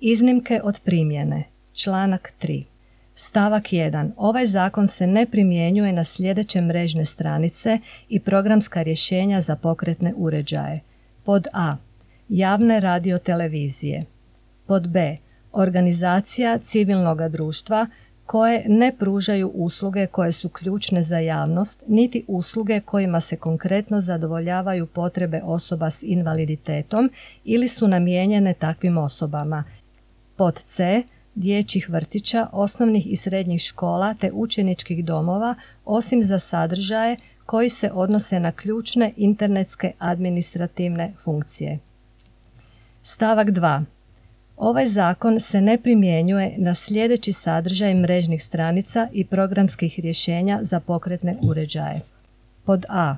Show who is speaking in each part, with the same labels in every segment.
Speaker 1: Iznimke od primjene. Članak 3. Stavak 1. Ovaj zakon se ne primjenjuje na sljedeće mrežne stranice i programska rješenja za pokretne uređaje. Pod a. Javne radiotelevizije. Pod b. Organizacija civilnog društva koje ne pružaju usluge koje su ključne za javnost, niti usluge kojima se konkretno zadovoljavaju potrebe osoba s invaliditetom ili su namijenjene takvim osobama. Pod c. Dječjih vrtića, osnovnih i srednjih škola te učeničkih domova, osim za sadržaje koji se odnose na ključne internetske administrativne funkcije. Stavak 2. Ovaj zakon se ne primjenjuje na sljedeći sadržaj mrežnih stranica i programskih rješenja za pokretne uređaje. Pod a.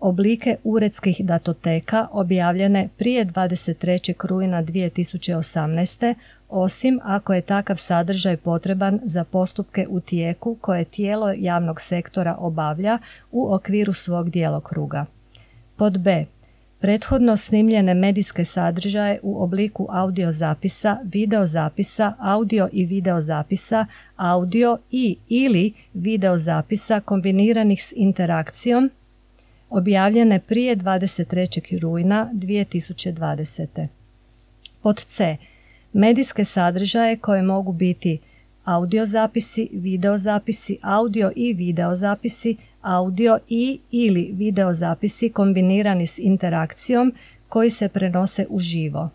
Speaker 1: Oblike uredskih datoteka objavljene prije 23. rujna 2018. osim ako je takav sadržaj potreban za postupke u tijeku koje tijelo javnog sektora obavlja u okviru svog djelokruga. Pod b. Prethodno snimljene medijske sadržaje u obliku audio zapisa, video zapisa, audio i video zapisa, audio i ili video zapisa kombiniranih s interakcijom, objavljene prije 23. rujna 2020. Pod c. Medijske sadržaje koje mogu biti audio zapisi, video zapisi, audio i video zapisi, audio i ili video zapisi kombinirani s interakcijom koji se prenose uživo.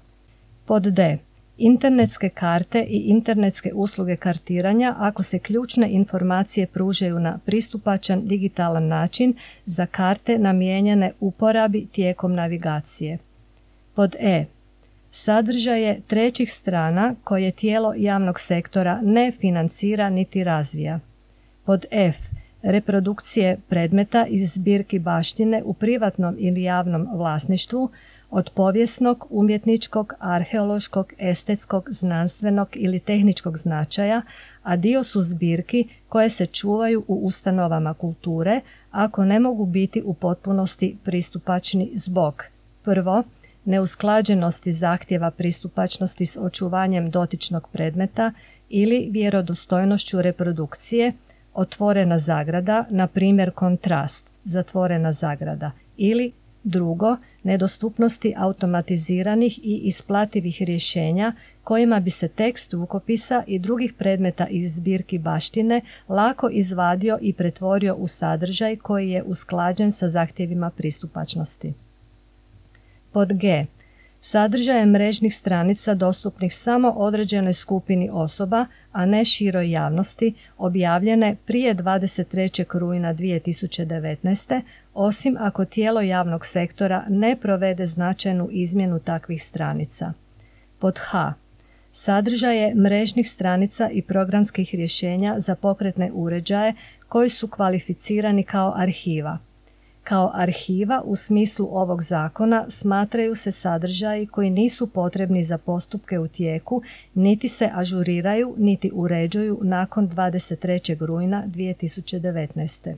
Speaker 1: Pod d. Internetske karte i internetske usluge kartiranja ako se ključne informacije pružaju na pristupačan digitalan način za karte namijenjene uporabi tijekom navigacije. Pod e. Sadržaje trećih strana koje tijelo javnog sektora ne financira niti razvija. Pod f. Reprodukcije predmeta iz zbirki baštine u privatnom ili javnom vlasništvu od povijesnog, umjetničkog, arheološkog, estetskog, znanstvenog ili tehničkog značaja, a dio su zbirki koje se čuvaju u ustanovama kulture ako ne mogu biti u potpunosti pristupačni zbog: prvo, neusklađenosti zahtjeva pristupačnosti s očuvanjem dotičnog predmeta ili vjerodostojnošću reprodukcije, otvorena zagrada, na primjer kontrast, zatvorena zagrada, ili drugo, nedostupnosti automatiziranih i isplativih rješenja kojima bi se tekst rukopisa i drugih predmeta iz zbirki baštine lako izvadio i pretvorio u sadržaj koji je usklađen sa zahtjevima pristupačnosti. Pod g. Sadržaje mrežnih stranica dostupnih samo određenoj skupini osoba, a ne široj javnosti, objavljene prije 23. rujna 2019. osim ako tijelo javnog sektora ne provede značajnu izmjenu takvih stranica. Pod h. Sadržaje mrežnih stranica i programskih rješenja za pokretne uređaje koji su kvalificirani kao arhiva. Kao arhiva u smislu ovog zakona smatraju se sadržaji koji nisu potrebni za postupke u tijeku, niti se ažuriraju, niti uređuju nakon 23. rujna 2019.